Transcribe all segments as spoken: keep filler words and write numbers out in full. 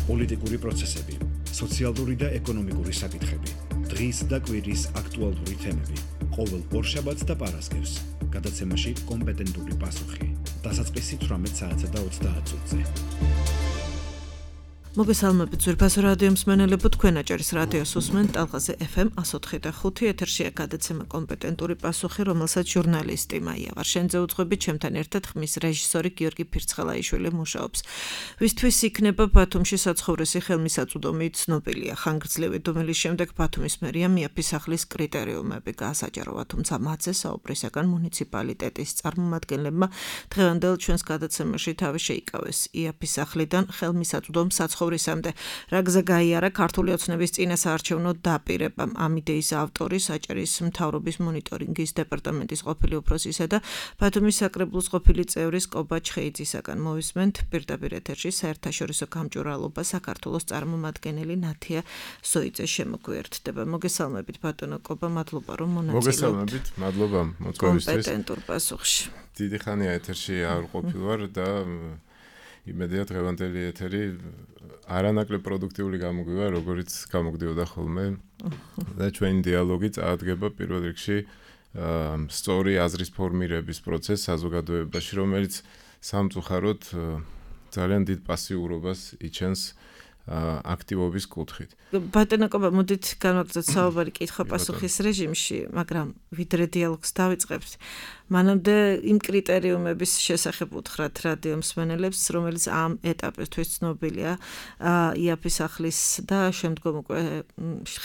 პოლიტიკური პროცესები, სოციალური და ეკონომიკური საკითხები, დღის და კვირის აქტუალური თემები, ყოველ ორშაბათს და პარასკევს, გადაცემაში კომპეტენტური პასუხი, დასაწყისი თვრამეტ საათსა და ოცდაათ წუთზე. მოგესალმებით ძვირფასო რადიო მსმენელებო, თქვენ აჭარის რადიოს უსმენთ ტალღაზე ეფ ემ one oh three point five ეთერშია გადაცემა კომპეტენტური პასუხი, რომელსაც ჟურნალისტი მაია ვარშენიძე უძღვებით, ჩემთან ერთად ხმის რეჟისორი გიორგი ფირცხელაიშვილი მუშაობს. ვისთვის იქნება ბათუმში საცხოვრისი ხელმისაწვდომი ცნობილია. ხანგრძლივი დუმილის შემდეგ ბათუმის მერია მიაფისახლის კრიტერიუმები გაასაჯაროვა, თუმცა მათზე საუბრისაგან მუნიციპალიტეტის წარმომადგენლებმა დღევანდელ ჩვენს გადაცემაში თავი შეიკავეს იაფისახლიდან ხელმისაწვდომ საცხოვრისამდე. რა გზა გაიარა ქართული ოცნების წინასაარჩევნო დაპირებამ. ამ იდეის ავტორი საჭერის მთავრობის მონიტორინგის დეპარტამენტის ყოფილი უფროსისა და ბათუმის საკრებულოს ყოფილი წევრის კობა ჩხეიძისაგან. მოვისმენთ პირდაპირ ეთერში საერთაშორისო გამჭვირვალობა საქართველოს წარმომადგენელი ნათია სოიძე შემოგვიერთდება. მოგესალმებით ბატონო კობა, მადლობა რომ მონაწილეობთ. მოგესალმებით, მადლობა მოწვევისთვის. კომპეტენტურ პასუხში. დიდი ხანია ეთერში არ ყოფილვარ და იმედია დღევანდელი ეთერი არანაკლებ პროდუქტიული გამოგვივა, როგორც გამოგდიოდა ხოლმე. და ჩვენი დიალოგი წაადგება პირველ რიგში სწორი აზრის ფორმირების პროცესს საზოგადოებაში, რომელიც სამწუხაროდ ძალიან დიდ პასიურობას იჩენს აქტივობის კუთხით. ბატონო კობა, მოდით განვაგრძელოთ საუბარი კითხვა-პასუხის რეჟიმში, მაგრამ ვიდრე დიალოგს დავიწყებთ, მანამდე იმ კრიტერიუმების შესახებ უთხრათ რადიო მსმენელებს, რომელიც ამ ეტაპისთვის ცნობილია იაფისახლის და შემდგომ უკვე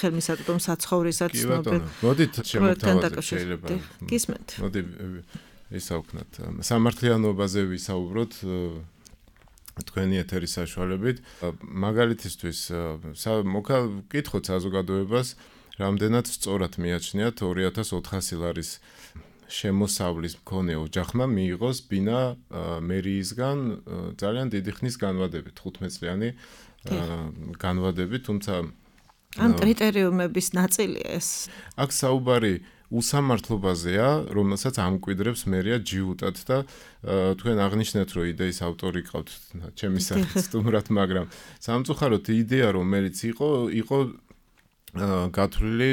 ხელმისაწვდომ საცხოვრისად ცნობილ. მოდით შემოთავაზებთ შეიძლება. გისმენთ. მოდი ვისაუბროთ. სამართლიანობაზე ვისაუბროთ თქვენი ეთერის საშუალებით. მაგალითისთვის მოგკითხოთ საზოგადოებას, რამდენად სწორად მიაჩნიათ ორი ათას ოთხასი ლარის შემოსავლის მქონე ოჯახმა მიიღოს ბინა მერიისგან ძალიან დიდი ხნის განმავლობით, თხუთმეტ წლიანი განმავლობით, თუმცა ამ კრიტერიუმების ნაწილია ეს. აქ საუბარი უსამართლობაზეა, რომელსაც ამკვიდრებს მერია ჯიუტად და თქვენ აღნიშნეთ, რომ იდეის ავტორი ყავთ ჩემი სახით სტუმრად, მაგრამ სამწუხაროდ იდეა, რომელიც იყო, იყო გათვლილი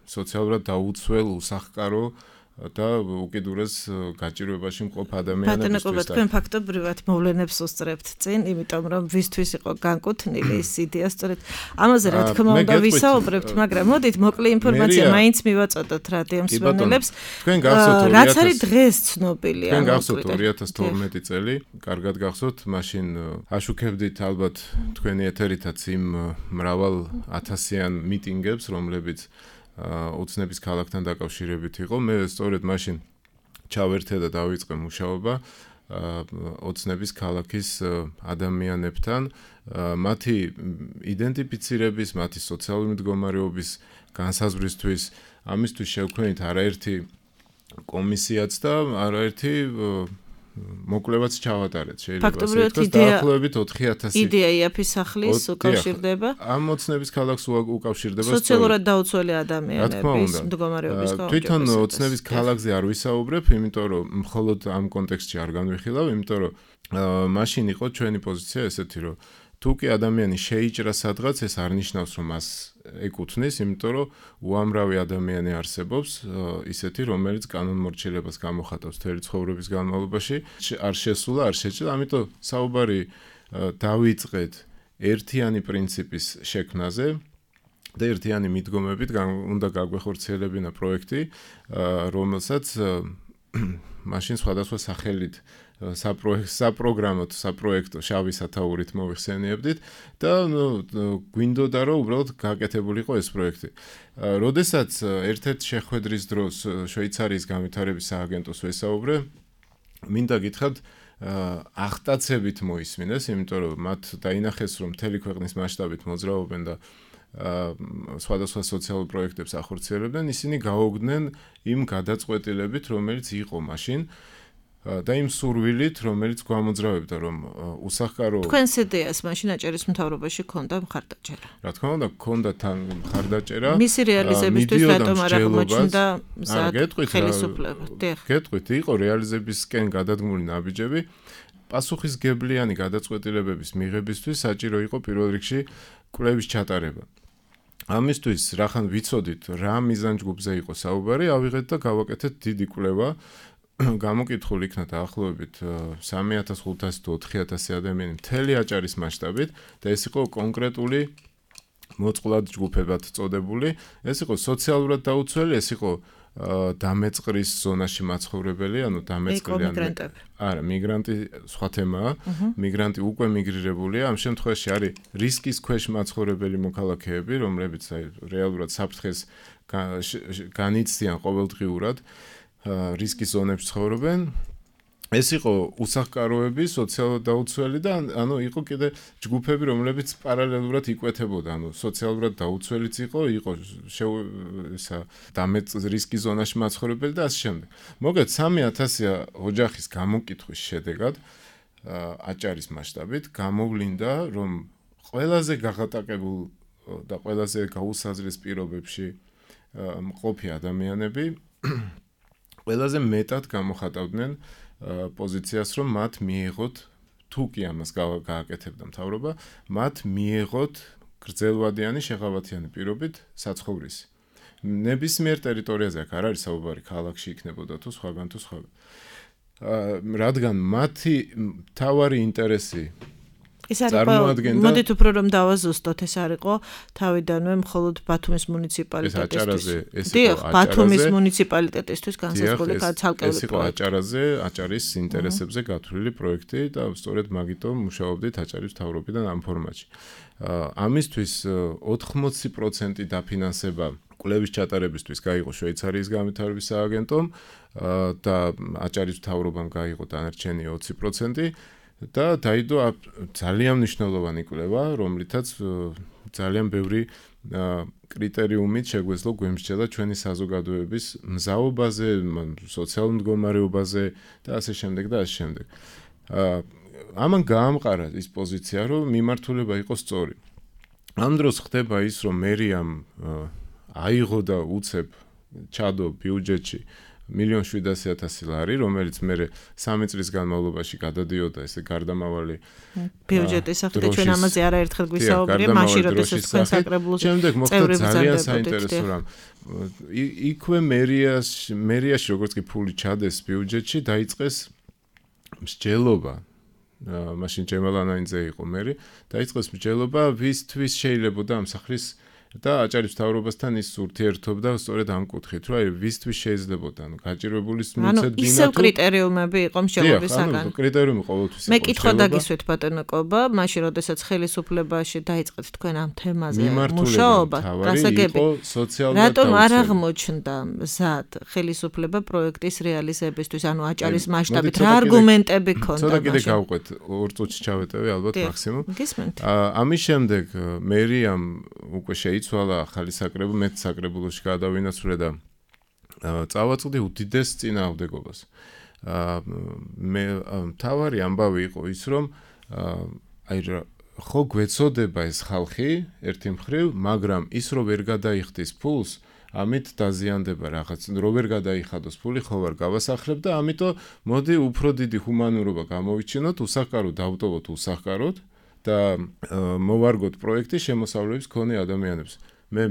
სოციალურად დაუცველ, უსახკარო და უკიდურეს გაჭირვებაში მყოფ ადამიანებისთვის. ბატონო, თქვენ ფაქტობრივად მოვლენებს უსწრებთ წინ, იმიტომ რომ ვისთვის იყო განკუთვნილი ეს იდეა, სწორედ ამაზე რა თქმა უნდა ვისაუბრებთ, მაგრამ მოდით მოკლე ინფორმაცია მაინც მივაწოდოთ რადიო მსმენელებს. თქვენ გახსოვთ რაც არის დღეს ცნობილია. თქვენ გახსოვთ ორი ათას თორმეტი წელი, კარგად გახსოვთ, მაშინ აშუქებდით ალბათ თქვენი ეთერითაც იმ მრავალ ათასიან მიტინგებს, რომლებიც ოცნების ქალაქთან დაკავშირებით იყო. მე სწორედ მაშინ ჩავერთე და დავიწყე მუშაობა ოცნების ქალაქის ადამიანებთან, მათი იდენტიფიცირების, მათი სოციალური მდგომარეობის განსაზღვრისთვის. ამისთვის შევქმნით არაერთი კომისიაც და არაერთი მოკვლევაც ჩავატარეთ. შეიძლება ასე ითქვას, დაახლოებით ოთხი ათასი იდეა იაფისახლის უკავშირდება. ამ ოცნების ქალაქს უკავშირდება სოციალურად დაუცველი ადამიანების მდგომარეობის გაუმჯობესებას. თვითონ ოცნების ქალაქზე არ ვისაუბრებ, იმიტომ რომ მხოლოდ ამ კონტექსტში არ განვიხილავ, იმიტომ რომ მაშინ იყო ჩვენი პოზიცია ესეთი, რომ თუ კი ადამიანი შეიჭრა სადღაც, ეს არ ნიშნავს, რომ მას ეკუთვნის, იმიტომ რომ უამრავი ადამიანი არსებობს, ისეთი, რომელიც კანონმორჩილებას გამოხატავს მთელი ცხოვრების განმავლობაში, არ შესულა, არ შეჭრა, ამიტომ საუბარი დავიწყეთ ერთიანი პრინციპის შექმნაზე და ერთიანი მიდგომებით უნდა გაგვეხორციელებინა პროექტი, რომელსაც მაშინ სხვადასხვა სახელით საპროგრამო, საპროექტო შავი სათაურით მოვიხსენიებდით და გვინდოდა რომ უბრალოდ გაკეთებულიყო ეს პროექტი. როდესაც ერთ-ერთ შეხვედრის დროს შვეიცარიის განვითარების სააგენტოს ვესაუბრე, მინდა გითხრათ ახტაცებით მოისმინეს, იმიტომ რომ მათ დაინახეს, რომ მთელი ქვეყნის მასშტაბით მოძრაობენ და სხვადასხვა სოციალურ პროექტებს ახორციელებდნენ, ისინი გაუგდნენ იმ გადაწყვეტილებით, რომელიც იყო მაშინ და იმ სურვილით, რომელიც გვამოძრავებდა, რომ უსახკარო თქვენს იდეას მაშინ აჭარის მთავრობაში ქონდა მხარდაჭერა. რა თქმა უნდა, ქონდა თან მხარდაჭერა. მისი რეალიზებისთვის რატომ არ აღმოჩნდა მზად ხელისუფლება? გეტყვით, იყო რეალიზებისკენ გადადგმული ნაბიჯები. პასუხისგებლიანი გადაწყვეტილებების მიღებისთვის საჭირო იყო პირველ რიგში კვლევის ჩატარება. ამისთვის რახან ვიცოდით რა მიზანჯგუფზე იყო საუბარი, ავიღეთ და გავაკეთეთ დიდი კვლევა. გამოკითხული იქნა დაახლოებით სამი ათას ხუთასი თუ ოთხი ათასი ადამიანი მთელი აჭარის მასშტაბით და ეს იყო კონკრეტული მოწყვლად ჯგუფებად წოდებული. ეს იყო სოციალურად დაუცველი, ეს იყო დამეწყრის ზონაში მაცხოვრებელი, ანუ დამეწყრილი არა, მიგრანტი სხვა თემაა. მიგრანტი უკვე მიგრირებულია, ამ შემთხვევაში არის რისკის ქვეშ მაცხოვრებელი მოქალაქეები, რომლებიც რეალურად საფრთხეს განიცდიან ყოველდღიურად, რისკის ზონებში ცხოვრობენ. ეს იყო უსახკაროები, სოციალურად დაუცველი და ანუ იყო კიდე ჯგუფები, რომლებიც პარალელურად იკვეთებოდა, ანუ სოციალურად დაუცველიც იყო, იყო ისა დამეწყრის რისკის ზონაში მაცხოვრებელი და ასე შემდეგ. მოგეთ სამი ათასი ოჯახის გამოკითხვის შედეგად აჭარის მასშტაბით გამოვლინდა, რომ ყველაზე გაღატაკებულ და ყველაზე გაუსაზღრეს პირობებში მყოფი ადამიანები ყველაზე მეტად გამოხატავდნენ პოზიციას, რომ მათ მიიღოთ, თუ კი ამას გააკეთებდა მთავრობა, მათ მიიღოთ გრძელვადიანი შეღავათიანი პირობით საცხოვრისი. ნებისმიერ ტერიტორიაზე აქ არ არის საუბარი, ქალაქში იქნებოდა თუ სხვაგან თუ სხვაგან. რადგან მათი მთავარი ინტერესი ეს არის მოდით უფრო რომ დავაზუსტოთ, ეს არისო თავიდანვე მხოლოდ ბათუმის მუნიციპალიტეტისთვის. დიახ, ბათუმის მუნიციპალიტეტისთვის განსაზღვრული ცალკეული პროექტი. ეს იყო აჭარაზე, აჭარის ინტერესებზე გათვლილი პროექტი და სწორედ მაგიტომ მუშაობდით აჭარის მთავრობიდან ამ ფორმატში. ამისთვის ოთხმოცი პროცენტი დაფინანსება კვლევის ჩატარებისთვის გაიღო შვეიცარიის განვითარების სააგენტომ და აჭარის მთავრობამ გაიღო დანარჩენი ოცი პროცენტი. და დაიდო ძალიან მნიშვნელოვანი კვლევა, რომლითაც ძალიან ბევრი კრიტერიუმით შეგვეძლო გვემსჯელა ჩვენი საზოგადოების მზაობაზე, სოციალურ მდგომარეობაზე და ასე შემდეგ და ასე შემდეგ. ამან გაამყარა ის პოზიცია, რომ მიმართულება იყო სწორი. ამ დროს ხდება ის, რომ მერიამ აიღო და უცებ ჩადო ბიუჯეტში მილიონ შვიდასი ათასი ლარი, რომელიც მე სამი წლის განმავლობაში გადადიოდა ესე გარდამავალი ბიუჯეტის სახით, ჩვენ ამაზე არაერთხელ გვისაუბრია, მაშინ როდესაც თქვენ საკრებულოს შემდეგ მოხდა ძალიან საინტერესო რამ. იქვე მერიაში, მერიაში როგორც კი ფული ჩადეს ბიუჯეტში, დაიწყეს მსჯელობა. მაშინ ჯემალანაინძე იყო მერი, დაიწყეს მსჯელობა, ვისთვის შეიძლებოდა ამ სახლის და აჭარის მთავრობასთან ის ურთიერთობდა სწორედ ამ კუთხით, რომ აი ვისთვის შეიძლებოდა, ანუ გაჭირვებულის მიცეთ ბინა თუ ისევ კრიტერიუმები იყო მსჯელობისაგან. ანუ კრიტერიუმი ყოველთვის იყო. მე კითხვა დაგისვით ბატონო კობა, მაშინ როდესაც ხელისუფლებაში დაიწყეთ თქვენ ამ თემაზე მუშაობა, გასაგები. რატომ არ აღმოჩნდა მზად ხელისუფლება პროექტის რეალიზებისთვის, ანუ აჭარის მასშტაბით რა არგუმენტები ქონდა? ცოტა კიდე გავყვეთ, ორ წუთში ჩავეტევი ალბათ მაქსიმუმ. ამის შემდეგ მერიამ უკვე იცვალა ახალი საკრებულო, მეც საკრებულოში გადავინაცვლე და წავაწყდი უდიდეს წინააღმდეგობას. მე მთავარი ამბავი იყო ის, რომ აი ხო გვეცოდება ეს ხალხი ერთი მხრივ, მაგრამ ის რო ვერ გადაიხდის ფულს, ამით დაზიანდება რაღაც, რო ვერ გადაიხადოს ფული, ხო ვარ გავასახლებ და ამიტომ მოდი უფრო დიდი ჰუმანურობა გამოვიჩინოთ, უსახკაროდ დავტოვოთ უსახკაროდ. და მოვარგოთ პროექტი შემოსავლების მქონე ადამიანებს. მე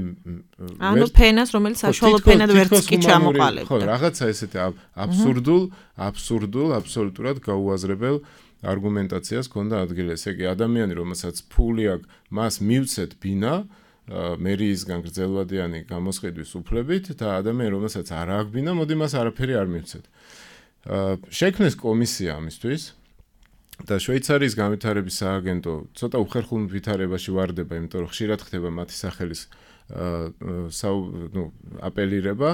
ანუ ფენას, რომელიც საშუალო ფენად ვერც კი ჩამოყალიბდა. ხო, რაღაცა ესეთი აბსურდულ, აბსურდულ, აბსოლუტურად გაუაზრებელ არგუმენტაციას ქონდა ადგილი. ესე იგი, ადამიანი, რომელსაც ფული აქვს, მას მივცეთ ბინა, მერიისგან გრძელვადიანი გამოსყიდვის უფლებით და ადამიანი, რომელსაც არ აქვს ბინა, მოდი მას არაფერი არ მივცეთ. შექმნეს კომისია ამისთვის. და შვეიცარიის განვითარების სააგენტო ცოტა უხერხულ ვითარებაში ვარდება, იმიტომ რომ ხშირად ხდება მათი სახელის ნუ აპელირება.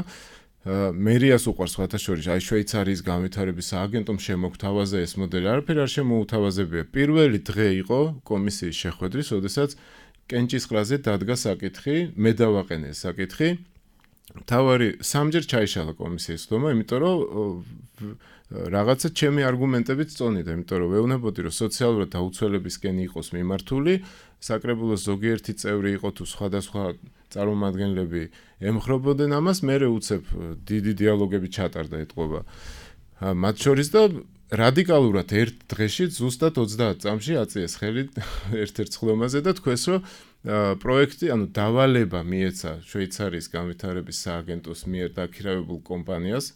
მერიას უყვარს სხვათა შორის, აი შვეიცარიის განვითარების სააგენტომ შემოგთავაზა ეს მოდელი, არაფერი არ შემოუთავაზებია. პირველი დღე იყო კომისიის შეხვედრის, როდესაც კენჭისყრაზე დადგა საკითხი, მე დავაყენე ეს საკითხი. თავარი სამჯერ ჩაიშალა კომისიის ხდომა, იმიტომ რომ რაღაცა ჩემი არგუმენტებით წონიდა, იმიტომ რომ ვეუბნებოდი, რომ სოციალურად დაუცველებისკენ იყოს მიმართული, საკრებულოს ზოგიერთი წევრი იყო თუ სხვადასხვა წარმომადგენლები ემხრობოდნენ ამას, მე უცებ დიდი დიალოგები ჩატარდა ეთყობა. მათ შორის და რადიკალურად ერთ დღეში ზუსტად ოცდაათ წამში აწიეს ხელი ერთ-ერთ ხლომაზე და თქვეს რომ პროექტი, ანუ დავალება მიეცა შვეიცარიის განვითარების სააგენტოს მიერ დაქირავებულ კომპანიას,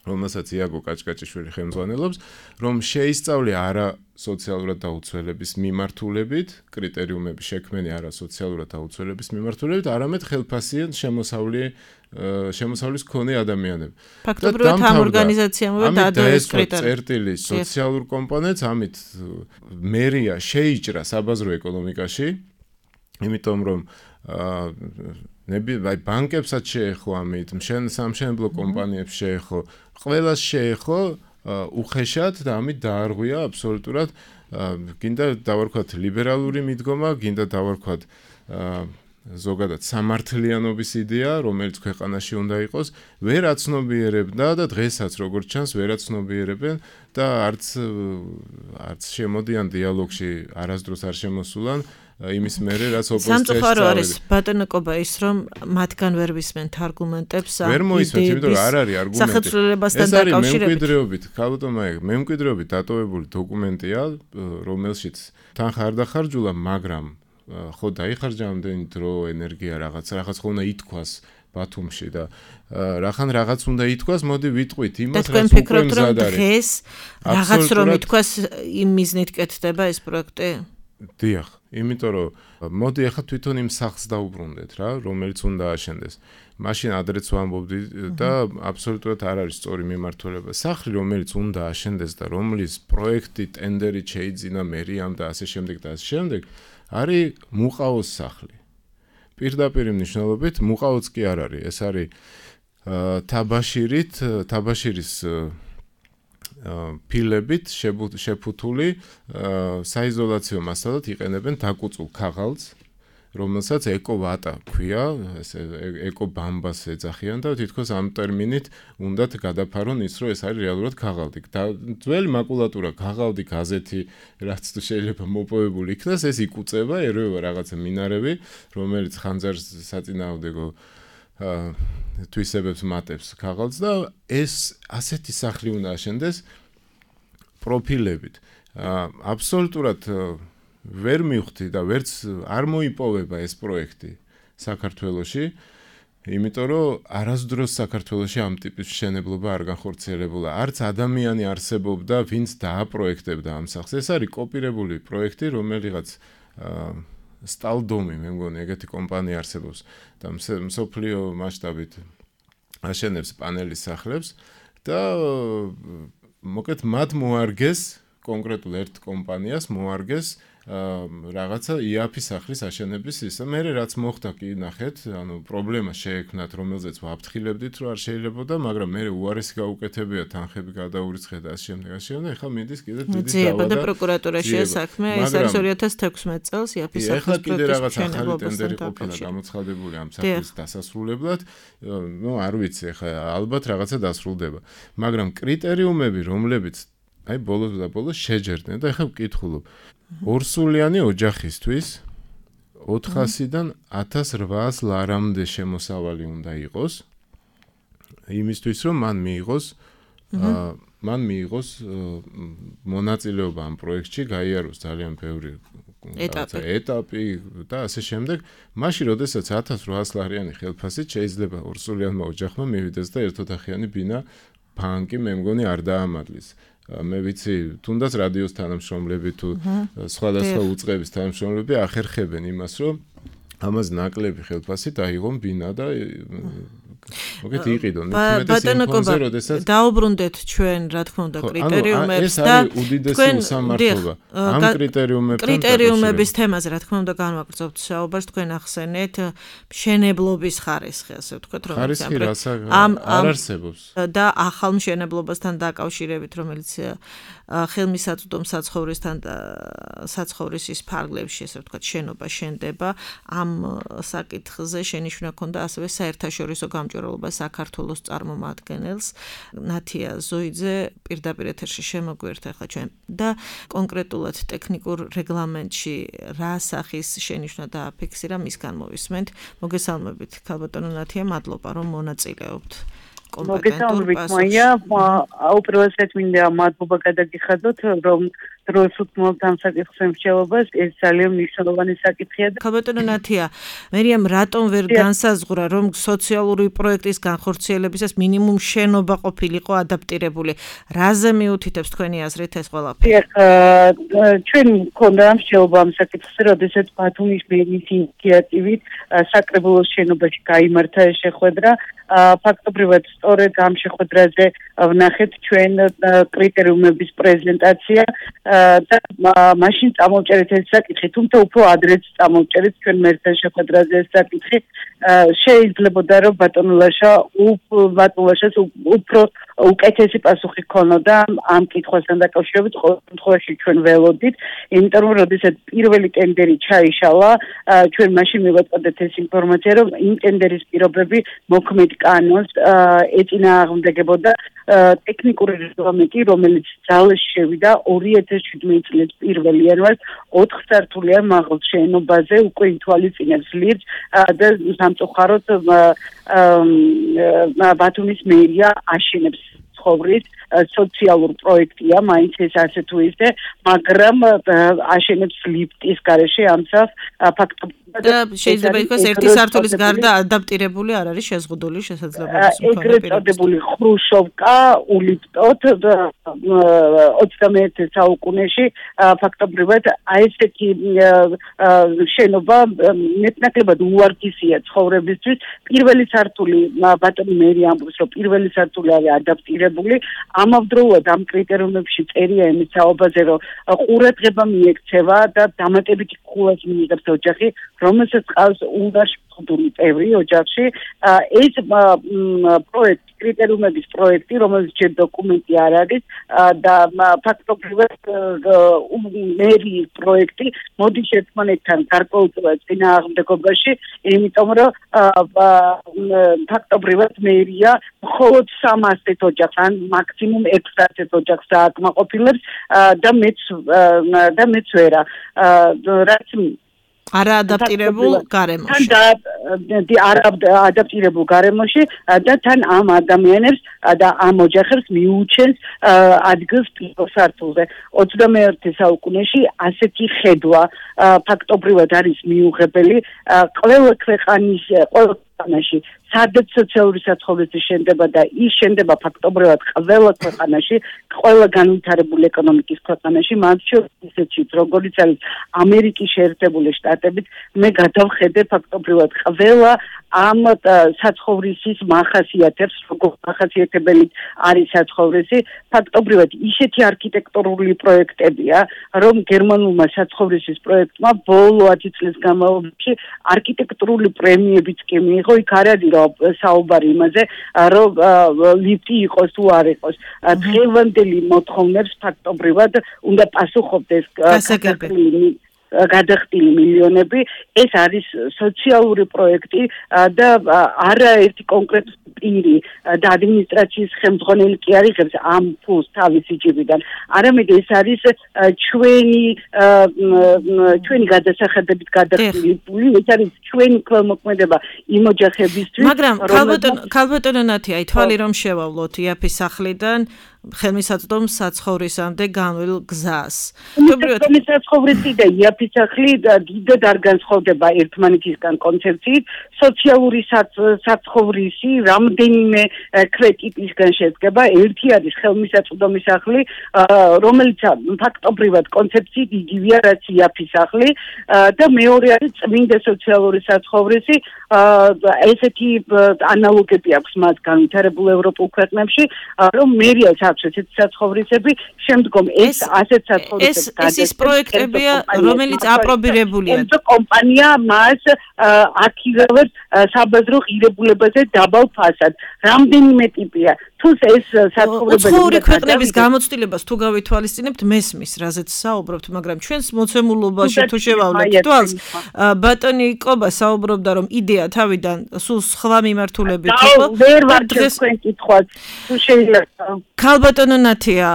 რომელსაც იაგო კაჭკაჭიშვილი ხელმძღვანელობს, რომ შეისწავლე არა სოციალურად დაუცველების მიმართულებით, კრიტერიუმები შექმენი არა სოციალურად დაუცველების მიმართულებით, არამედ ხელფასიან შემოსავლი შემოსავლის მქონე ადამიანები. ფაქტობრივად ამ ორგანიზაციამ დაადო ეს კრიტერიუმი. წერტილი სოციალურ კომპონენტს, ამით მერია შეიჭრა საბაზრო ეკონომიკაში, იმიტომ რომ ნები აი ბანკებსაც შეეხო ამით, სამშენებლო კომპანიებს შეეხო, ყველას შეეხო უხეშად და ამით დაარღვია აბსოლუტურად გინდა დავარქვათ ლიბერალური მიდგომა, გინდა დავარქვათ ზოგადად სამართლიანობის იდეა, რომელიც ქვეყანაში უნდა იყოს, ვერ აცნობიერებდა და დღესაც როგორც ჩანს ვერ აცნობიერებენ და არც არც შემოდიან დიალოგში, არასდროს არ შემოსულან იმის მერე რაც ოპოზიციაში სამწუხარო არის ბატონო კობა ის რომ მათგან ვერ ვისმენთ არგუმენტებს ვერ მოისმენთ, იმიტომ რომ არ არის არგუმენტი. სახელმწიფოებასთან დაკავშირებით. მემკვიდრეობით, ქალბატონო, მემკვიდრეობით დატოვებული დოკუმენტია, რომელშიც თანხა არ დახარჯულა, მაგრამ ხო დაიხარჯა ამდენი დრო, ენერგია, რაღაც რაღაც ხო უნდა ითქვას ბათუმში და რახან რაღაც უნდა ითქვას, მოდი ვიტყვით იმას, რაც უკვე მზად არის. დღეს რაღაც რომ ითქვას იმ მიზნით კეთდება ეს პროექტი? დიახ, იმიტომ რომ მოდი ახლა თვითონ იმ სახლს დაუბრუნდეთ რა, რომელიც უნდა აშენდეს. მაშინ ადრეც ვამბობდი და აბსოლუტურად არ არის სწორი მიმართულება. სახლი, რომელიც უნდა აშენდეს და რომლის პროექტი, ტენდერი შეიძინა მერიამ და ასე შემდეგ და ასე შემდეგ, არის მუყაოს სახლი. პირდაპირ მნიშვნელობით მუყაოც კი არ არის, ეს არის თაბაშირით, თაბაშირის ფილებით შეფუთული საიზოლაციო მასალად იყენებენ დაკუწულ ქაღალდს, რომელსაც ეკოვატა ქვია, ეს ეკობამბას ეძახიან და თითქოს ამ ტერმინით უნდათ გადაფარონ ის, რომ ეს არის რეალურად ქაღალდი. ძველი მაკულატურა, ქაღალდი, გაზეთი, რაც შეიძლება მოპოვებული იქნას, ეს იკუწება, ერევა რაღაცა მინარევი, რომელიც ხანძარს საწინააღმდეგო თვისებებს მატებს ქაღალდს და ეს ასეთი სახლი უნდა აშენდეს პროფილებით. აბსოლუტურად ვერ მივხვდი და ვერც არ მოიპოვება ეს პროექტი საქართველოში, იმიტომ რომ არასდროს საქართველოში ამ ტიპის მშენებლობა არ განხორციელებულა. არც ადამიანი არსებობდა, ვინც დააპროექტებდა ამ სახლს. ეს არის კოპირებული პროექტი, რომელიღაც სტალდომი, მე მგონი, ეგეთი კომპანია არსებობს და მსოფლიო მასშტაბით აშენებს პანელის სახლებს და მოკეთ მათ მოარგეს კონკრეტულ ერთ კომპანიას მოარგეს რაღაცა იაფი სახლის აშენების ისა. მე რაც მოხდა კი ნახეთ, ანუ პრობლემა შეექმნათ, რომელზეც ვაფრთხილებდით, რომ არ შეიძლებოდა, მაგრამ მე უარესი გაუკეთებია, თანხები გადაურიცხეთ და ასე შემდეგ, ასე შემდეგ. ეხლა მიდის კიდე დიდი დავა და პროკურატურაშია საქმე, ეს არის ორი ათას თექვსმეტ წელს იაფი სახლის ეხლა კიდე რაღაც ახალი ტენდერი ყოფილა გამოცხადებული ამ სახლის დასასრულებლად. ნუ არ ვიცი, ეხლა ალბათ რაღაცა დასრულდება, მაგრამ კრიტერიუმები, რომლებიც აი ბოლოს და ბოლოს შეჯერდნენ და ეხლა ვკითხულობ ორსულიანი ოჯახისთვის ოთხასიდან ათას რვაას ლარამდე შემოსავალი უნდა იყოს იმისთვის რომ მან მიიღოს მან მიიღოს მონაწილეობა ამ პროექტში, გაიაროს ძალიან ბევრი ეტაპი და ასე შემდეგ. მაშინ როდესაც ათას რვაას ლარიანი ხელფასით შეიძლება ორსულიანმა ოჯახმა მივიდეს და ერთოთახიანი ბინა ბანკი მე მგონი არ დაამადლის. მე ვიცი, თუნდაც რადიოს თანამშრომლები თუ სხვადასხვა უწყების თანამშრომლები ახერხებენ იმას, რომ ამას ნაკლები ხელფასი დაიღონ ბინა და მოგეთ იყიდონ. ბატონო კობა, დაუბრუნდეთ ჩვენ, რა თქმა უნდა, კრიტერიუმებს და ეს არის უდიდესი უსამართლობა. ამ კრიტერიუმებთან კრიტერიუმების თემაზე, რა თქმა უნდა, განვაგრძობთ საუბარს, თქვენ ახსენეთ მშენებლობის ხარისხი, ასე ვთქვათ, რომელიც არ არსებობს. და ახალ მშენებლობასთან დაკავშირებით, რომელიც ხელმისაწვდომ საცხოვრისთან და საცხოვრისის ფარგლებში, ასე ვთქვათ, შენობა შენდება, ამ საკითხზე შენიშვნა ქონდა ასევე საერთაშორისო გამჭვირვალობა საქართველოს წარმომადგენელს ნათია ზოიძე პირდაპირ ეთერში შემოგვიერთა ახლა ჩვენ და კონკრეტულად ტექნიკურ რეგლამენტში რა სახის შენიშვნა დააფიქსირა, მისგან მოვისმენთ. მოგესალმებით, ქალბატონო ნათია, მადლობა რომ მონაწილეობთ კომპეტენტური პასუხი. უპირველესად მინდა მადლობა გადაგიხადოთ, რომ დროს უთმობთ ამ საკითხს მსჯელობას, ეს ძალიან მნიშვნელოვანი საკითხია. ქალბატონო ნათია, მერიამ რატომ ვერ განსაზღვრა, რომ სოციალური პროექტის განხორციელებისას მინიმუმ შენობა ყოფილიყო ადაპტირებული? რაზე მიუთითებს თქვენი აზრით ეს ყველაფერი? ჩვენ მქონდა მსჯელობა ამ საკითხზე, როდესაც ბათუმის მერიის ინიციატივით საკრებულოს შენობაში გაიმართა ეს შეხვედრა. ფაქტობრივად სწორედ ამ შეხვედრაზე ვნახეთ ჩვენ კრიტერიუმების პრეზენტაცია და მაშინ წამოვჭერეთ ეს საკითხი, თუმცა უფრო ადრეც წამოვჭერეთ ჩვენ მერთან შეხვედრაზე ეს საკითხი. შეიძლებოდა რომ ბატონულაშა ბატონულაშას უფრო უკეთესი პასუხი ქონოდა ამ კითხვასთან დაკავშირებით, ყოველ შემთხვევაში ჩვენ ველოდით, იმიტომ რომ როდესაც პირველი ტენდერი ჩაიშალა, ჩვენ მაშინ მივაწოდეთ ეს ინფორმაცია, რომ იმ ტენდერის პირობები მოქმედ კანონს ეწინააღმდეგებოდა ტექნიკური რეგლამენტი, რომელიც ძალაში შევიდა ორი ათას შვიდმეტი წლის პირველ იანვარს ოთხ სართულიან მაღალ შენობაზე უკვე ითვალისწინებს ლირს და სამწუხაროდ ბათუმის მერია აშენებს ცხოვრის სოციალურ პროექტია, მაინც ეს ასე თუ ისე, მაგრამ აშენებს ლიფტის გარეშე ამსავ ფაქტობრივად და შეიძლება ითქვას ერთი სართულის გარდა ადაპტირებული არ არის შეზღუდული შესაძლებლობის მქონე ეგრეთ წოდებული ხრუშოვკა ულიფტოთ ოცდამეერთე საუკუნეში ფაქტობრივად აი ესეთი შენობა მეტნაკლებად უარგისია ცხოვრებისთვის. პირველი სართული ბატონი მერი ამბობს, რომ პირველი სართული არის ადაპტირებული. ამავდროულად ამ კრიტერიუმებში წერია იმის საუბარზე, რომ ყურადღება მიექცევა და დამატებითი ხულას მიიღებს ოჯახი, რომელსაც ყავს უნივერსიტეტური წევრი ოჯახში. ეს პროექტი, კრიტერიუმების პროექტი, რომელიც ჯერ დოკუმენტი არ არის და ფაქტობრივად მერიის პროექტი მოდის ერთმანეთთან გარკვეულწილად წინააღმდეგობაში, იმიტომ რომ ფაქტობრივად მერია მხოლოდ სამასზე ოჯახს ან მაქსიმუმ ექვსასზე ოჯახს აკმაყოფილებს და მეც და მეც ვერა. რაც არა ადაპტირებულ გარემოში. თან არა ადაპტირებულ გარემოში და თან ამ ადამიანებს და ამ ოჯახებს მიუჩენს ადგილს პირველ სართულზე. ოცდამეერთე საუკუნეში ასეთი ხედვა ფაქტობრივად არის მიუღებელი. ყველა ქვეყანის ყველა ქვეყანაში სადაც სოციალური საცხოვრისი შენდება და ის შენდება ფაქტობრივად ყველა ქვეყანაში, ყველა განვითარებული ეკონომიკის ქვეყანაში, მათ შორის ისეთშიც, როგორიც არის ამერიკის შეერთებული შტატებით, მე გადავხედე ფაქტობრივად ყველა ამ საცხოვრისის მახასიათებს, როგორ მახასიათებელი არის საცხოვრისი, ფაქტობრივად ისეთი არქიტექტურული პროექტებია, რომ გერმანულმა საცხოვრისის პროექტმა ბოლო ათი წლის განმავლობაში არქიტექტურული პრემიებიც კი მიიღო, იქ არ არის საუბარი იმაზე, რომ ლიფტი იყოს თუ არ იყოს. დღევანდელი მოთხოვნებს ფაქტობრივად უნდა პასუხობდეს გადახდილი მილიონები. ეს არის სოციალური პროექტი და არაერთი კონკრეტული პირი და ადმინისტრაციის ხელმძღვანელი კი არ იღებს ამ ფულს თავისი ჯიბიდან. არამედ ეს არის ჩვენი ჩვენი გადასახადებით გადახდილი ფული, ეს არის ჩვენი ქველმოქმედება იმ ოჯახებისთვის. მაგრამ ქალბატონო ნათია, აი თვალი რომ შევავლოთ იაფის სახლიდან ხელმისაწვდომ საცხოვრისამდე განვლილ გზას. ხელმისაწვდომი და იაფის სახლი დიდად არ განსხვავდება ერთმანეთისგან კონცეფციით. სოციალური საცხოვრისი რამდენიმე კრიტიკისგან შედგება. ერთი არის ხელმისაწვდომი სახლი, რომელიც ფაქტობრივად კონცეფციით იგივეა, რაც იაფის სახლი და მეორე არის წმინდა სოციალური საცხოვრისი. ესეთი ანალოგები აქვს მათ განვითარებულ ევროპულ ქვეყნებში, რომ მერიას აქვს ესეთი საცხოვრისები, შემდგომ ეს ასეთ საცხოვრისებს ეს ის პროექტებია, რომელიც აპრობირებულია. კომპანია მას აქ იღებს საბაზრო ღირებულებაზე დაბალ ფასად. რამდენიმე ტიპია. თუ ეს საცხოვრებელი უცხოური ქვეყნების გამოცდილებას თუ გავითვალისწინებთ მესმის რაზეც საუბრობთ, მაგრამ ჩვენს მოცემულობაში თუ შევავლეთ თვალს ბატონი კობა საუბრობდა რომ იდეა თავიდან სულ სხვა მიმართულებით იყო ვერ ვარ თქვენ კითხვას თუ შეიძლება ქალბატონო ნათია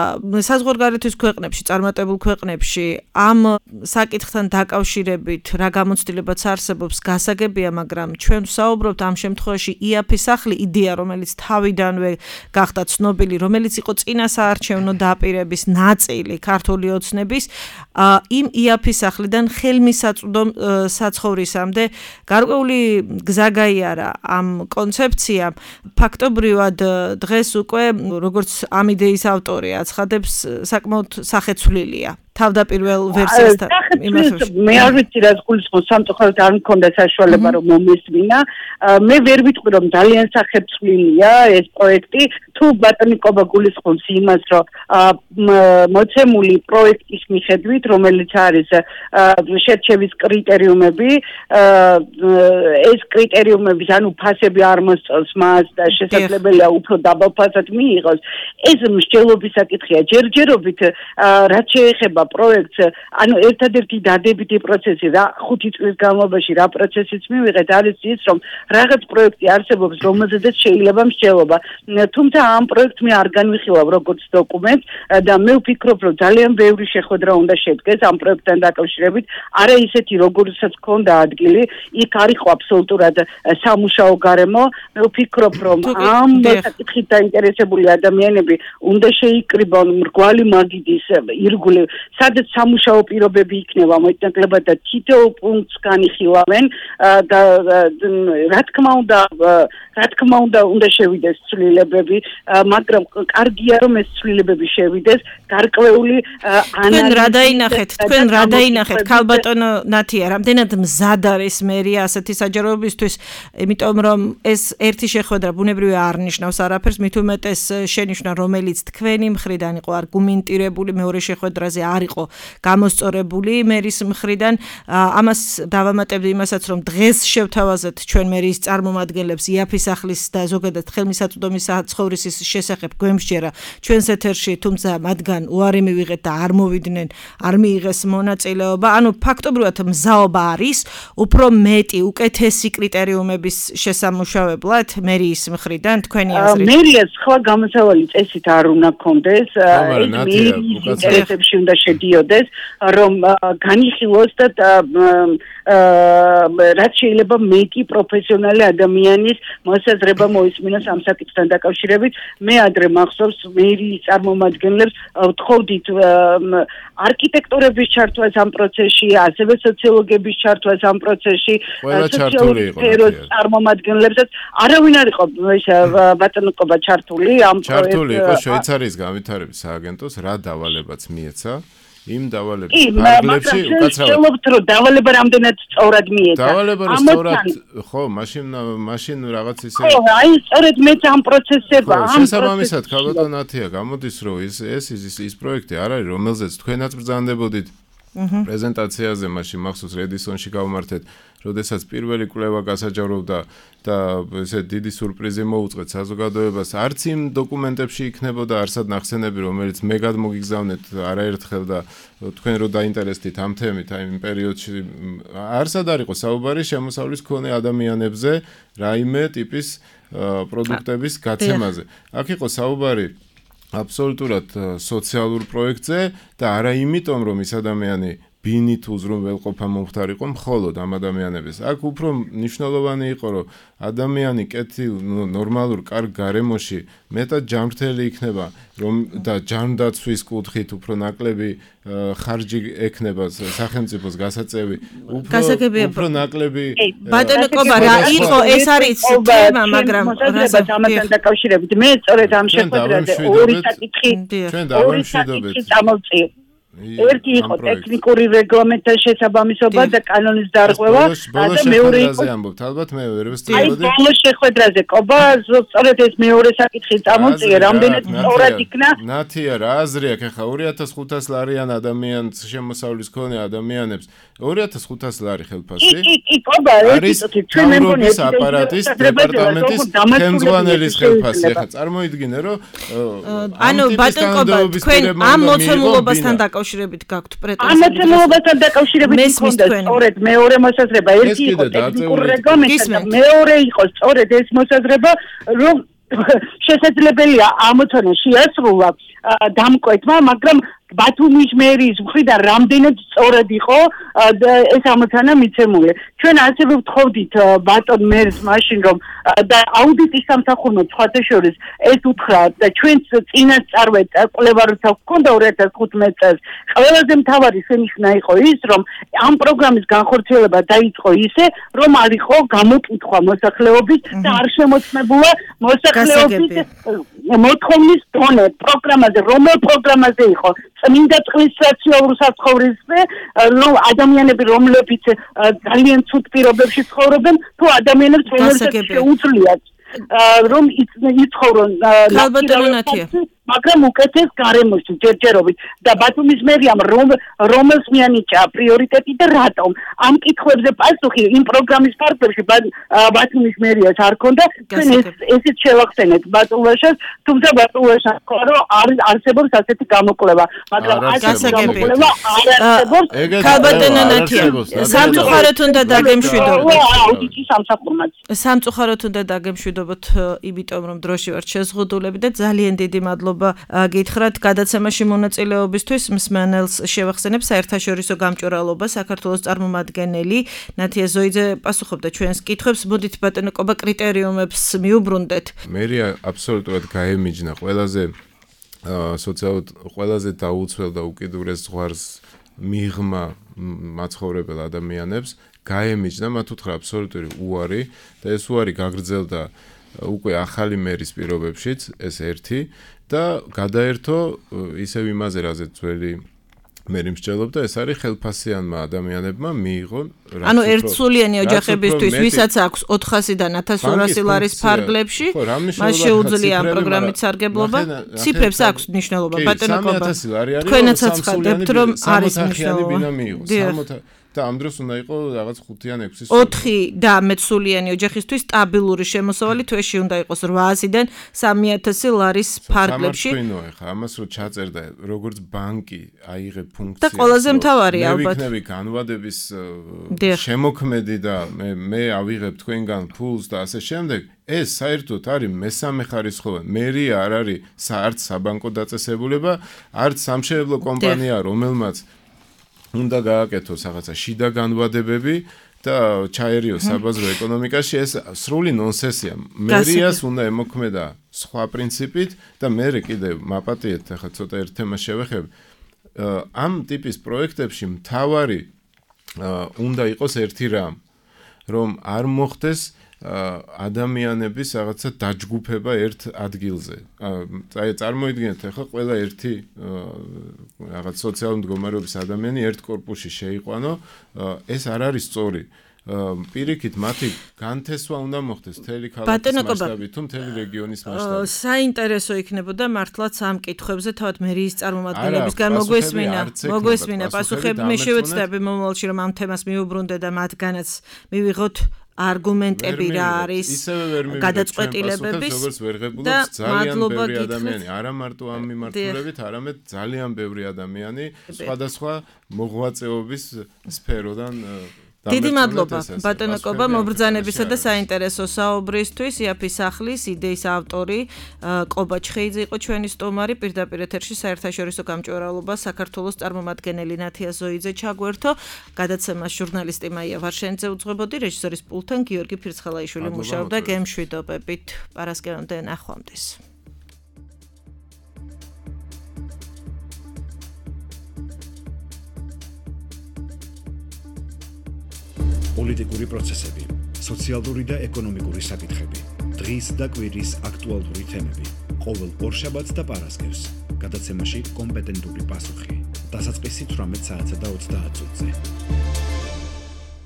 საზღვარგარეთის ქვეყნებში წარმატებულ ქვეყნებში ამ საკითხთან დაკავშირებით რა გამოცდილებაც არსებობს გასაგებია, მაგრამ ჩვენ ვსაუბრობთ ამ შემთხვევაში იაფის სახლი იდეა რომელიც თავიდანვე გახდა ცნობილი, რომელიც იყო წინა საარჩევნო დაპირების ნაწილი ქართული ოცნების იმ იაფის სახლიდან ხელმისაწვდო საცხოვრისამდე გარკვეული გზა გაიარა ამ კონცეფციამ. ფაქტობრივად დღეს უკვე როგორც ამ იდეის ავტორი აცხადებს საკმაოდ სახეცვლილია. თავდაპირველ ვერსიასთან იმასში მე არ ვიცი რა გულისხმობს სამწუხაროდ არ მქონდა საშუალება რომ მომესმინა მე ვერ ვიტყვი რომ ძალიან სახეცვლილია ეს პროექტი თუ ბატონი კობა გულისხმობს იმას რომ მოცემული პროექტის მიხედვით რომელიც არის შერჩევის კრიტერიუმები ეს კრიტერიუმები ანუ ფასები არ მოსწონს მას და შესაძლებელია უფრო დაბალ ფასად მიიღოს ეს მსჯელობის საკითხია ჯერჯერობით რაც შეეხება პროექტს, ანუ ერთადერთი დადებითი პროცესი რა ხუთი წლის განმავლობაში რა პროცესიც მივიღეთ არის ის რომ რაღაც პროექტი არსებობს რომელზედაც შეიძლება მსჯელობა. თუმცა ამ პროექტს მე არ განვიხილავ როგორც დოკუმენტს და მე ვფიქრობ რომ ძალიან ბევრი შეხვედრა უნდა შედგეს ამ პროექტთან დაკავშირებით, არა ისეთი როგორცაც ქონდა ადგილი, იქ არ იყო აბსოლუტურად სამუშაო გარემო, მე ვფიქრობ რომ ამ საკითხით დაინტერესებული ადამიანები უნდა შეიკრიბონ მრგვალი მაგიდის ირგვლივ სადაც სამუშაო პირობები იქნება მოიტანკლებად და თითოეულ პუნქტს განიხილავენ და რა თქმა უნდა რა თქმა უნდა უნდა შევიდეს ცვლილებები მაგრამ კარგია რომ ეს ცვლილებები შევიდეს გარკვეული ანალიზი თქვენ რა დაინახეთ თქვენ რა დაინახეთ ქალბატონო ნათია რამდენად მზად არის მერია ასეთი საჯაროებისთვის იმიტომ რომ ეს ერთი შეხვედრა ბუნებრივია არ ნიშნავს არაფერს მით უმეტეს შენიშვნა რომელიც თქვენი მხრიდან იყო არგუმენტირებული მეორე შეხვედრაზე არ იყო გამოსწორებული მერის მხრიდან ამას დავამატებდი იმასაც რომ დღეს შევთავაზეთ ჩვენ მერის წარმომადგენლებს იაფის სახლის და ზოგადად ხელმისაწვდომის საცხოვრისის შესახებ გვემსჯერა ჩვენს ეთერში თუმცა მათგან უარი მივიღეთ და არ მოვიდნენ არ მიიღეს მონაწილეობა ანუ ფაქტობრივად მზაობა არის უფრო მეტი უკეთესი კრიტერიუმების შესამუშავებლად მერის მხრიდან თქვენი აზრით მერიას სხვა გამოსავალი წესით არ უნდა გქონდეს ეს მერის ინტერესებში უნდა შედიოდეს რომ განიხილოს და რაც შეიძლება მეტი პროფესიონალი ადამიანის მოსაზრება მოისმინოს ამ საკითხთან დაკავშირებით მე ადრე მახსოვს მერის წარმომადგენლებს ვთხოვდით არქიტექტორების ჩართვას ამ პროცესში ასევე სოციოლოგების ჩართვას ამ პროცესში სოციოლოგიის წარმომადგენლებსაც არავინ არ იყო ბატონო კობა ჩართული ამ ჩართული იყო შვეიცარიის განვითარების სააგენტოს რა დავალებაც მიეცა იმ დავალების ფარგლებში უკაცრავად რომ დავალება რამდენად სწორად მიეცა დავალება სწორად ხო მაშინ მაშინ რაღაც ისე ხო აი სწორედ მე ამ პროცესება ამ შესაბამისად ქალბატონ ნათია გამოდის რომ ეს ეს ის პროექტი არ არის რომელზეც თქვენაც ბრძანდებოდით პრეზენტაციაზე მაშინ მახსოვს რედისონში გავმართეთ როდესაც პირველი კვლევა გასაჯაროვდა და ესე დიდი სურპრიზი მოუწყეთ საზოგადოებას არც იმ დოკუმენტებში იქნებოდა არსად ნახსენები რომელიც მე გადმოგიგზავნეთ არაერთხელ და თქვენ რო დაინტერესდით ამ თემით აი იმ პერიოდში არსად არ იყო საუბარი შემოსავლის მქონე ადამიანებზე რაიმე ტიპის პროდუქტების გაცემაზე აქ იყო საუბარი აბსოლუტურად სოციალურ პროექტზე და არა იმიტომ რომ ის ადამიანი ბინით უზრუნველყოფა მომხდარ იყო მხოლოდ ამ ადამიანების. აქ უფრო მნიშვნელოვანი იყო რომ ადამიანი კეთილ ნორმალურ კარგ გარემოში მეტად ჯანმრთელი იქნება რომ და ჯანდაცვის კუთხით უფრო ნაკლები ხარჯი ექნება სახელმწიფოს გასაწევი უფრო უფრო ნაკლები ბატონო კობა რა იყო ეს არის თემა მაგრამ ამასთან დაკავშირებით მე სწორედ ამ შეხვედრაზე ორი საკითხი ჩვენ დავამშვიდობთ წამოვწიე ერთი იყო ტექნიკური რეგლამენტთა შესაბამისობა და კანონის დარღვევა და მეორე იყო ამბობთ ალბათ მე ვერ ვსწავლობდი ბოლოს შეხვედრაზე ყობა სწორედ ეს მეორე საკითხი წამოწია რამდენად სწორად იქნა ნათია რა აზრი აქვს ახლა ორი ათას ხუთას ლარიან ადამიანს შემოსავლის მქონე ადამიანებს ორი ათას ხუთას ლარი ხელფასი კი ყობა არის ჩვენ მე მგონი აპარატის დეპარტამენტის ხელმძღვანელის ხელფასი ახლა წარმოიდგინე რომ ანუ ბატონყობა თქვენ ამ მოცემულობასთან დაკავშირებით გაქვთ პრეტენზია ამ მოცემულობასთან დაკავშირებით მქონდა სწორედ მეორე მოსაზრება ერთი იყო ტექნიკური რეგლამენტი და მეორე იყო სწორედ ეს მოსაზრება რომ შესაძლებელია ამოცანა შეასრულა დამკვეთმა მაგრამ ბათუმის მერიის მხრიდან რამდენად სწორად იყო ეს ამოცანა მიცემული. ჩვენ ასევე ვთხოვდით ბატონ მერს მაშინ რომ და აუდიტის სამსახურმა სხვათა შორის ეს უთხრა და ჩვენც წინასწარ კვლევა როცა გვქონდა ორი ათას თხუთმეტ წელს ყველაზე მთავარი შენიშვნა იყო ის რომ ამ პროგრამის განხორციელება დაიწყო ისე რომ არ იყო გამოკითხვა მოსახლეობის და არ შემოწმებულა მოსახლეობის მოთხოვნის დონე პროგრამაზე რომელ პროგრამაზე იყო წმინდა წყლის სოციალურ საცხოვრებელზე რომ ადამიანები რომლებიც ძალიან ცუდ პირობებში ცხოვრობენ თუ ადამიანებს რომელსაც შეუძლიათ რომ იცხოვრონ მაგრამ უკეთეს გარემოში ჯერჯერობით და ბათუმის მერიამ რომელს მიანიჭა პრიორიტეტი და რატომ ამ კითხვებზე პასუხი იმ პროგრამის ფარგლებში ბათუმის მერიას არ ქონდა ჩვენ ესეც შევახსენეთ ბატულაშას თუმცა ბატულაშას ხო რომ არსებობს ასეთი გამოკვლევა მაგრამ ასეთი გამოკვლევა არ არსებობს ქალბატონო ნათია სამწუხაროდ უნდა დაგემშვიდობოთ აუდიტის სამსახურმაც სამწუხაროდ უნდა დაგემშვიდობოთ იმიტომ რომ დროში ვართ შეზღუდულები და ძალიან დიდი მადლობა გითხრათ გადაცემაში მონაწილეობისთვის მსმენელს შევახსენებ საერთაშორისო გამჭვირვალობა საქართველოს წარმომადგენელი ნათია ზოიძე პასუხობდა ჩვენს კითხვებს მოდით ბატონო ყობა კრიტერიუმებს მიუბრუნდეთ მერია აბსოლუტურად გაემიჯნა ყველაზე სოციალურად ყველაზე დაუცველ და უკიდურეს ზღვარს მიღმა მაცხოვრებელ ადამიანებს გაემიჯნა მათ უთხრა აბსოლუტური უარი და ეს უარი გაგრძელდა უკვე ახალი მერის პირობებშიც ეს ერთი და გადაერთო ისევ იმაზე რაზეც ძველი მერი მსჯელობდა ეს არის ხელფასიანმა ადამიანებმა მიიღო ანუ ერთსულიანი ოჯახებისთვის ვისაც აქვს ოთხასიდან ათას ორასი ლარის ფარგლებში მას შეუძლია ამ პროგრამით სარგებლობა ციფრებს აქვს მნიშვნელობა ბატონო ყობა თქვენაც აცხადებთ რომ არის მნიშვნელობა და ამ დროს უნდა იყო რაღაც ხუთი ან ექვსი ოთხი და მეცულიანი ოჯახისთვის სტაბილური შემოსავალი თვეში უნდა იყოს რვაასიდან სამი ათასი ლარის ფარგლებში სამართლინო ახლა ამას რო ჩაწერდა როგორც ბანკი აიღებ ფუნქციას და ყველაზე მთავარი ალბათ მე ვიქნები განვადების შემოქმედი და მე მე ავიღებ თქვენგან ფულს და ასე შემდეგ ეს საერთოდ არის მესამე ხარისხოვანი მერია არ არის არც საბანკო დაწესებულება არც სამშენებლო კომპანია რომელმაც უნდა გააკეთოს რაღაცა შიდა განვადებები და ჩაერიოს საბაზრო ეკონომიკაში ეს სრული ნონსენსია. მერიას უნდა ემოქმედა სხვა პრინციპით და მე კიდე მაპატიეთ ახლა ცოტა ერთ თემას შევეხებ. ამ ტიპის პროექტებში მთავარი უნდა იყოს ერთი რამ, რომ არ მოხდეს ადამიანების რაღაცა დაჯგუფება ერთ ადგილზე. აი წარმოიდგინეთ ახლა ყველა ერთი რაღაც სოციალური მდგომარეობის ადამიანი ერთ კორპუსში შეიყვანო, ეს არ არის სწორი. პირიქით მათი განთესვა უნდა მოხდეს მთელი ქალაქის მასშტაბით თუ მთელი რეგიონის მასშტაბით. საინტერესო იქნებოდა მართლაც ამ კითხვებზე თავად მერიის წარმომადგენლებისგან მოგვესმინა, მოგვესმინა პასუხები. მე შევეცდები მომავალში რომ ამ თემას მიუბრუნდე და მათგანაც მივიღოთ არგუმენტები რა არის გადაწყვეტილებების და მადლობა გითხრათ არა მარტო ამ მიმართულებით არამედ ძალიან ბევრი ადამიანი სხვადასხვა მოღვაწეობის სფეროდან დიდი მადლობა ბატონო ყობა მობრძანებისა და საინტერესო საუბრისთვის იაფი სახლის იდეის ავტორი ყობა ჩხეიძე იყო ჩვენი სტუმარი პირდაპირ ეთერში საერთაშორისო გამჭვირვალობა საქართველოს წარმომადგენელი ნათია ზოიძე ჩაგვერთო გადაცემას ჟურნალისტი მაია ვარშენიძე უძღვებოდი რეჟისორის პულტთან გიორგი ფირცხალაიშვილი მუშაობდა გემშვიდობებით პარასკევამდე ნახვამდის პოლიტიკური პროცესები, სოციალური და ეკონომიკური საკითხები, დღის და კვირის აქტუალური თემები, ყოველ ორშაბათს და პარასკევს, გადაცემაში კომპეტენტური პასუხი. დასაწყისი თვრამეტ საათსა და ოცდაათ წუთზე.